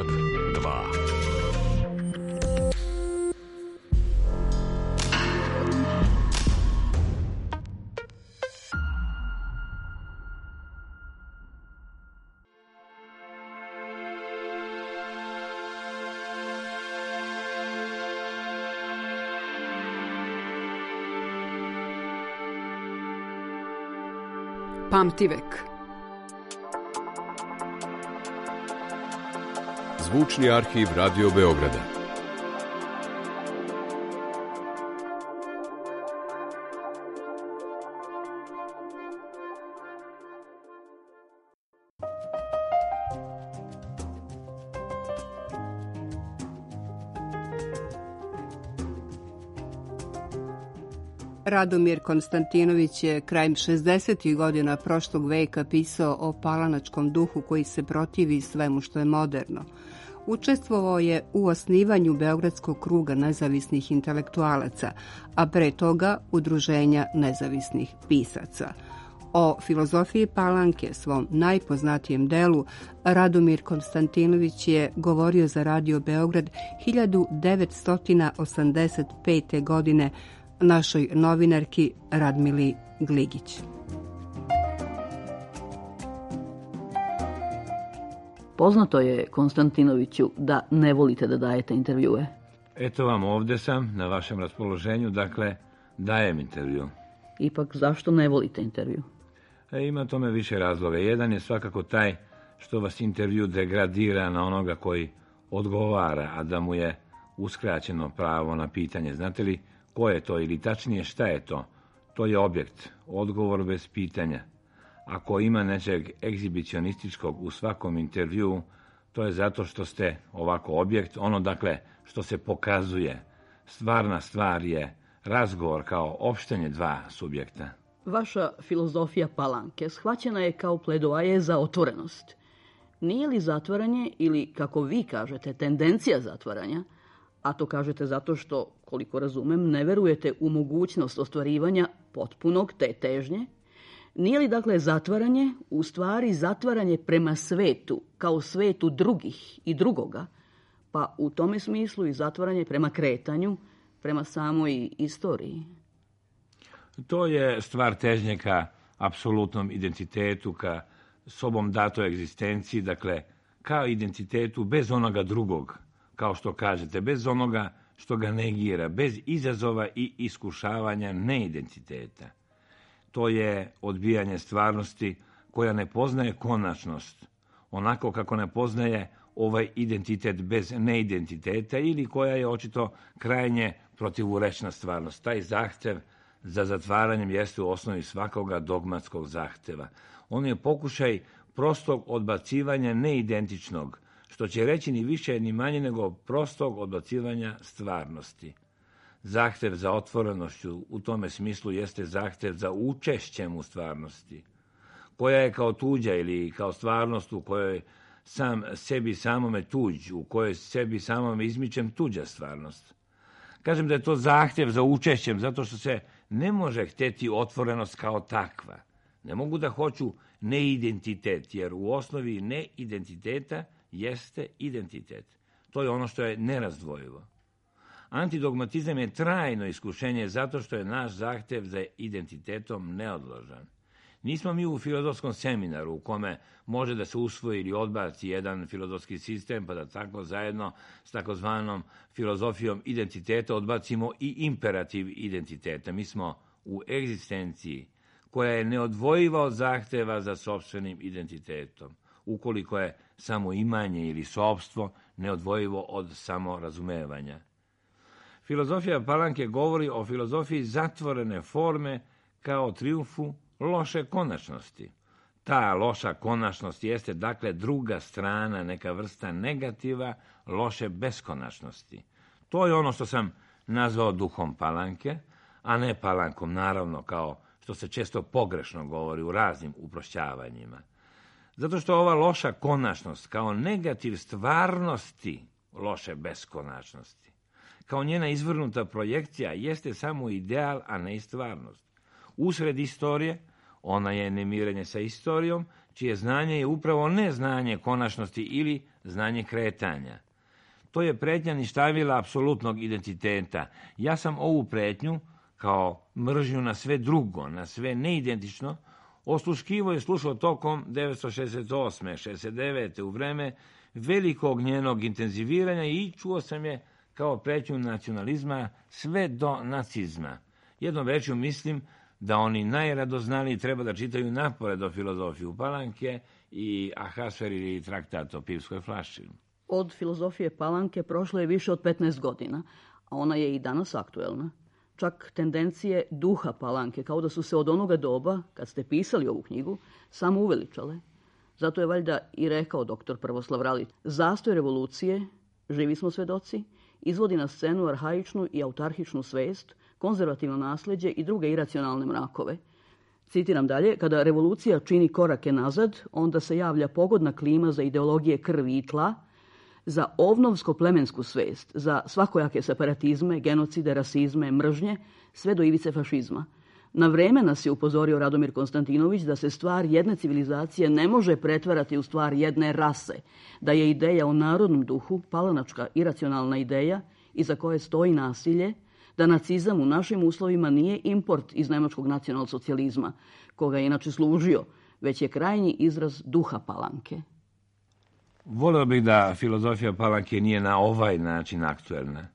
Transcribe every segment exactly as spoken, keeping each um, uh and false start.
Beograd dva. Pamtivek. Zvučni arhiv Radio Beograda. Radomir Konstantinović je krajem šezdesetih godina prošlog veka pisao o palanačkom duhu koji se protivi svemu što je moderno. Učestvovao je u osnivanju Beogradskog kruga nezavisnih intelektualaca, a pre toga Udruženja nezavisnih pisaca. O filozofiji Palanke, svom najpoznatijem delu, Radomir Konstantinović je govorio za Radio Beograd hiljadu devetsto osamdeset pete. godine našoj novinarki Radmili Gligić. Poznato je, Konstantinoviću, da ne volite da dajete intervjue. Eto vam, ovde sam, na vašem raspoloženju, dakle, dajem intervju. Ipak, zašto ne volite intervju? E, ima tome više razloga. Jedan je svakako taj što vas intervju degradira na onoga koji odgovara, a da mu je uskraćeno pravo na pitanje. Znate li ko je to ili tačnije šta je to? To je objekt, odgovor bez pitanja. Ako ima nečeg egzibicionističkog u svakom intervjuu, to je zato što ste ovako objekt, ono dakle što se pokazuje. Stvarna stvar je razgovor kao opštenje dva subjekta. Vaša filozofija Palanke shvaćena je kao pledoaje za otvorenost. Nije li zatvaranje ili, kako vi kažete, tendencija zatvaranja, a to kažete zato što, koliko razumem, ne verujete u mogućnost ostvarivanja potpunog te težnje, nije li dakle zatvaranje u stvari zatvaranje prema svetu, kao svetu drugih i drugoga, pa u tome smislu i zatvaranje prema kretanju, prema samoj istoriji? To je stvar težnje ka apsolutnom identitetu, ka sobom datoj egzistenciji, dakle, kao identitetu bez onoga drugog, kao što kažete, bez onoga što ga negira, bez izazova i iskušavanja neidentiteta. To je odbijanje stvarnosti koja ne poznaje konačnost, onako kako ne poznaje ovaj identitet bez neidentiteta ili koja je očito krajnje protivurečna stvarnost. Taj zahtev za zatvaranjem jeste u osnovi svakoga dogmatskog zahteva. On je pokušaj prostog odbacivanja neidentičnog, što će reći ni više ni manje nego prostog odbacivanja stvarnosti. Zahtev za otvorenošću u tome smislu jeste zahtev za učešćem u stvarnosti, koja je kao tuđa ili kao stvarnost u kojoj sam sebi samome tuđ, u kojoj sebi samome izmičem tuđa stvarnost. Kažem da je to zahtev za učešćem, zato što se ne može hteti otvorenost kao takva. Ne mogu da hoću neidentitet, jer u osnovi neidentiteta jeste identitet. To je ono što je nerazdvojivo. Antidogmatizam je trajno iskušenje zato što je naš zahtev za identitetom neodložan. Nismo mi u filozofskom seminaru u kome može da se usvoji ili odbaci jedan filozofski sistem, pa da tako zajedno s takozvanom filozofijom identiteta odbacimo i imperativ identiteta. Mi smo u egzistenciji koja je neodvojiva od zahteva za sopstvenim identitetom, ukoliko je samo imanje ili sopstvo neodvojivo od samorazumevanja. Filozofija Palanke govori o filozofiji zatvorene forme kao trijumfu loše konačnosti. Ta loša konačnost jeste dakle druga strana, neka vrsta negativa loše beskonačnosti. To je ono što sam nazvao duhom Palanke, a ne Palankom, naravno, kao što se često pogrešno govori u raznim uprošćavanjima. Zato što ova loša konačnost kao negativ stvarnosti loše beskonačnosti, kao njena izvrnuta projekcija, jeste samo ideal, a ne i stvarnost. Usred istorije, ona je nemirenje sa istorijom, čije znanje je upravo neznanje konačnosti ili znanje kretanja. To je pretnja ništavila apsolutnog identiteta. Ja sam ovu pretnju, kao mržnju na sve drugo, na sve neidentično, osluškivo je slušao tokom devetsto šezdeset osme šezdeset devete u vreme velikog njenog intenziviranja i čuo sam je kao pretnju nacionalizma sve do nacizma. Jednom rečju mislim da oni najradoznaliji treba da čitaju napored o filozofiju Palanke i Ahasver ili traktat o pivskoj flaši. Od filozofije Palanke prošlo je više od petnaest godina, a ona je i danas aktuelna. Čak tendencije duha Palanke, kao da su se od onoga doba, kad ste pisali ovu knjigu, samo uveličale. Zato je valjda i rekao doktor Prvoslav Ralić, zastoj revolucije, živi smo svedoci, izvodi na scenu arhaičnu i autarhičnu svest, konzervativno nasljeđe i druge iracionalne mrakove. Citiram dalje, kada revolucija čini korake nazad, onda se javlja pogodna klima za ideologije krvi i tla, za ovnovsko-plemensku svest, za svakojake separatizme, genocide, rasizme, mržnje, sve do ivice fašizma. Na vreme nas je upozorio Radomir Konstantinović da se stvar jedne civilizacije ne može pretvarati u stvar jedne rase, da je ideja o narodnom duhu palanačka iracionalna ideja iza koje stoji nasilje, da nacizam u našim uslovima nije import iz nemačkog nacionalsocijalizma, koga je inače služio, već je krajnji izraz duha Palanke. Voleo bih da filozofija Palanke nije na ovaj način aktuelna.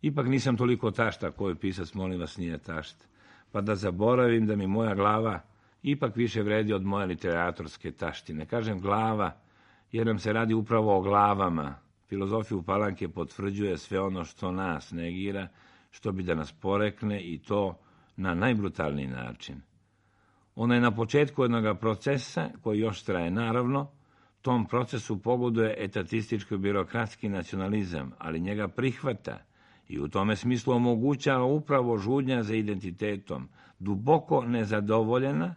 Ipak nisam toliko tašta koji pisac, molim vas, nije tašt, pa da zaboravim da mi moja glava ipak više vredi od moje literatorske taštine. Kažem glava, jer nam se radi upravo o glavama. Filozofiju Palanke potvrđuje sve ono što nas negira, što bi da nas porekne i to na najbrutalniji način. Ona je na početku jednog procesa koji još traje, naravno. Tom procesu pogoduje etatističko-birokratski nacionalizam, ali njega prihvata i u tome smislu omogućava upravo žudnja za identitetom, duboko nezadovoljena,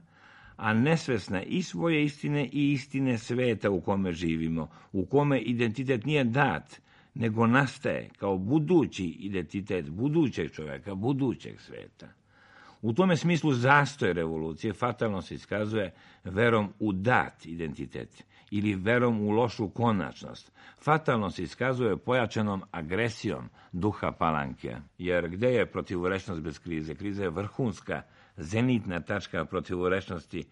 a nesvesna i svoje istine i istine sveta u kome živimo, u kome identitet nije dat, nego nastaje kao budući identitet budućeg čovjeka, budućeg sveta. U tome smislu zastoj revolucije fatalno se iskazuje verom u dat identitet ili verom u lošu konačnost. Fatalno se iskazuje pojačanom agresijom duha Palanke, jer gde je protivurečnost bez krize? Kriza je vrhunska, zenitna tačka protivurečnosti,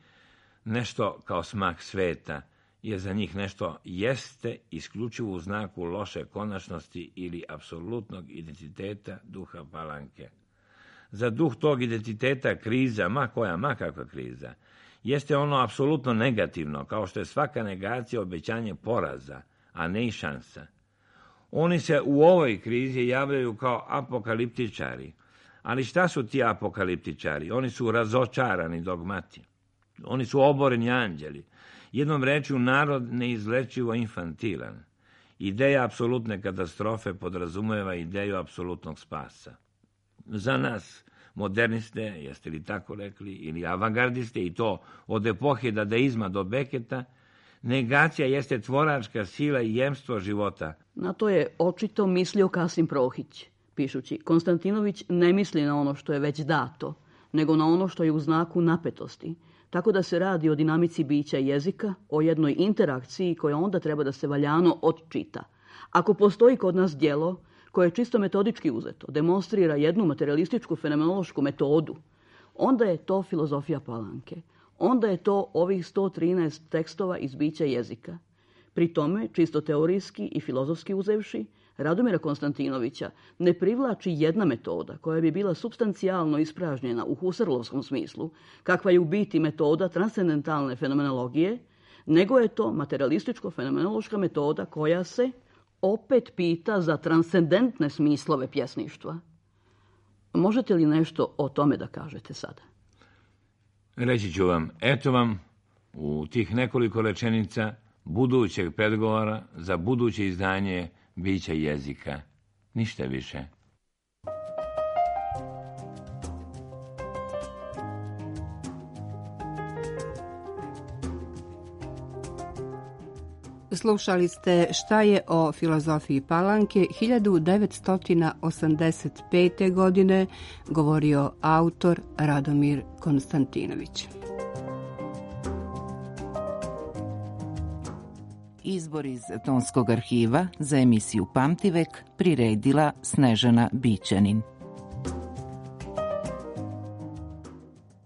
nešto kao smak sveta, jer za njih nešto jeste isključivo u znaku loše konačnosti ili apsolutnog identiteta duha Palanke. Za duh tog identiteta kriza, ma koja, ma kakva kriza, jeste ono apsolutno negativno, kao što je svaka negacija obećanje poraza, a ne i šansa. Oni se u ovoj krizi javljaju kao apokaliptičari. Ali šta su ti apokaliptičari? Oni su razočarani dogmati. Oni su oboreni anđeli. Jednom rečju, narod neizlečivo infantilan. Ideja apsolutne katastrofe podrazumeva ideju apsolutnog spasa. Za nas, moderniste, jeste li tako rekli, ili avangardiste, i to od epohe dadaizma do Beketa, negacija jeste tvoračka sila i jemstvo života. Na to je očito mislio Kasim Prohić, pišući: Konstantinović ne misli na ono što je već dato, nego na ono što je u znaku napetosti, tako da se radi o dinamici bića jezika, o jednoj interakciji koja onda treba da se valjano odčita. Ako postoji kod nas djelo koje je čisto metodički uzeto, demonstrira jednu materialističku fenomenološku metodu, onda je to filozofija Palanke. Onda je to ovih sto trinaest tekstova iz bića jezika. Pri tome, čisto teorijski i filozofski uzevši, Radomira Konstantinovića ne privlači jedna metoda koja bi bila supstancijalno ispražnjena u husarlovskom smislu, kakva je u biti metoda transcendentalne fenomenologije, nego je to materialističko-fenomenološka metoda koja se opet pita za transcendentne smislove pjesništva. Možete li nešto o tome da kažete sada? Reći ću vam, eto vam u tih nekoliko rečenica budućeg predgovora za buduće izdanje bića jezika. Ništa više. Slušali ste Šta je o filozofiji Palanke hiljadu devetsto osamdeset pete. godine, govorio autor Radomir Konstantinović. Izbor iz Tonskog arhiva za emisiju Pamtivek priredila Snežana Bićanin.